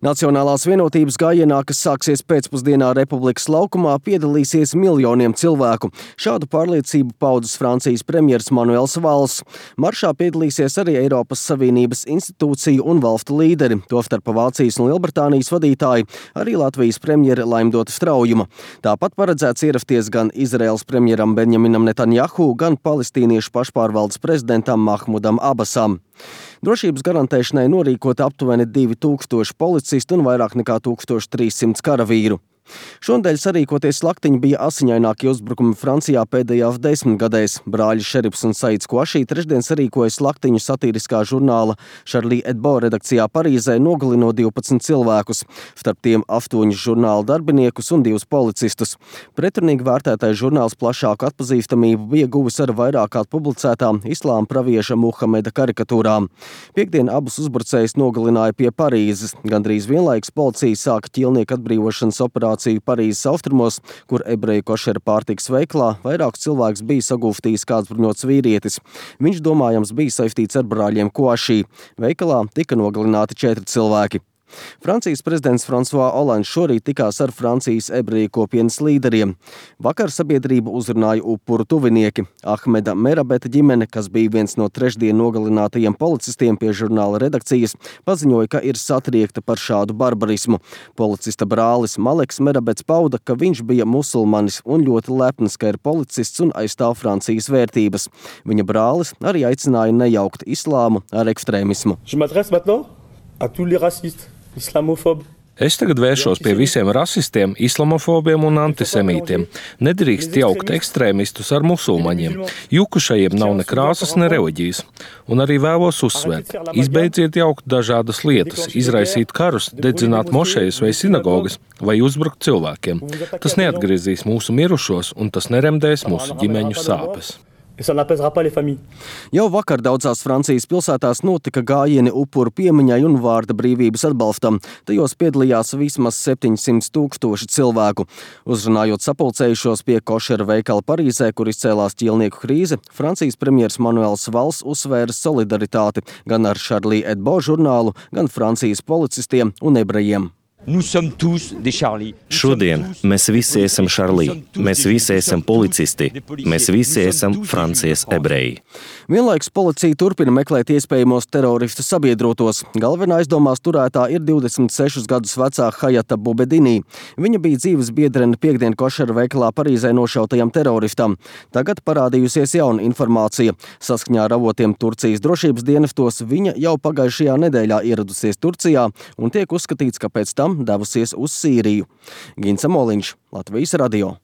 Nacionālās vienotības gājienā, kas sāksies pēcpusdienā Republikas laukumā, piedalīsies miljoniem cilvēku. Šādu pārliecību paudis Francijas premjers Manuels Valls. Maršā piedalīsies arī Eiropas Savienības institūciju un valstu līderi, tostarp Vācijas un Lielbritānijas vadītāji, arī Latvijas premjere Laimdota Straujuma. Tāpat paredzēts ierasties gan Izraēlas premjeram Benjaminam Netanjahu, gan palestīniešu pašpārvaldes prezidentam Mahmudam Abasam. Drošības garantēšanai norīkoti aptuveni 2000 policistu un vairāk nekā 1300 karavīru. Šonadēļ sarīkoties slaktiņi bija asiņainākie uzbrukumi Francijā pēdējās 10 gadēs. Brāļi Šerifs un Saids Kvašī trešdien sarīkoja slaktiņu satiriskā žurnāla Charlie Hebdo redakcijā Parīzē, nogalinot 12 cilvēkus, starp tiem 8 žurnāla darbiniekus un 2 policistus. Pretrunīgi vērtētais žurnāls plašāku atpazīstamību bija guvis ar vairākāt publicētām islāma pravieša Muhameda karikatūrām. Piektdien abus uzbrucējus nogalināja pie Parīzes. Gandrīz vienlaikus policija sāka ķīlnieku atbrīvošanas operāciju Parīzes austrumos, kur ebreju košera pārtikas veikalā vairākus cilvēkus bija sagūstījis kāds bruņots vīrietis. Viņš domājams bija saistīts ar brāļiem Kvašī. Veikalā tika nogalināti 4 cilvēki. Francijas prezidents François Hollands šorīt tikās ar Francijas ebreju kopienas līderiem. Vakar sabiedrību uzrunāja upuru tuvinieki. Ahmeda Merabeta ģimene, kas bija viens no trešdien nogalinātajiem policistiem pie žurnāla redakcijas, paziņoja, ka ir satriekta par šādu barbarismu. Policista brālis Maleks Merabets pauda, ka viņš bija musulmanis un ļoti lepns, ka ir policists un aizstāv Francijas vērtības. Viņa brālis arī aicināja nejaukt islāmu ar ekstrēmismu. Es tagad vēršos pie visiem rasistiem, islamofobiem un antisemītiem. Nedrīkst jaukt ekstrēmistus ar musulmaņiem. Jukušajiem nav ne krāsas, ne reliģijas. Un arī vēlos uzsvērt. Izbeidziet jaukt dažādas lietas, izraisīt karus, dedzināt mošejas vai sinagogas vai uzbrukt cilvēkiem. Tas neatgriezīs mūsu mirušos un tas neremdēs mūsu ģimeņu sāpes. Jau vakar daudzās Francijas pilsētās notika gājieni upuru piemiņai un vārda brīvības atbalstam. Tajos piedalījās vismaz 700 000 cilvēku. Uzrunājot sapulcējušos pie košera veikala Parīzē, kur izcēlās ķīlnieku krīze, Francijas premjers Manuels Valls uzsvēra solidaritāti gan ar Charlie Hebdo žurnālu, gan Francijas policistiem un ebrejiem. Šodien mēs visi esam Šarlī, mēs visi esam policisti, mēs visi esam Francijas ebreji. Vienlaikus policija turpina meklēt iespējamos teroristu sabiedrotos. Galvenā aizdomās turētā ir 26 gadus vecā Hayata Boubedini. Viņa bija dzīves biedrene piektdien košera veikalā Parīzē nošautajam teroristam. Tagad parādījusies jauna informācija. Saskaņā ar avotiem Turcijas drošības dienestos viņa jau pagājušajā nedēļā ieradusies Turcijā un tiek uzskatīts, ka pēc tam devusies uz Sīriju. Gins Amoliņš, Latvijas radio.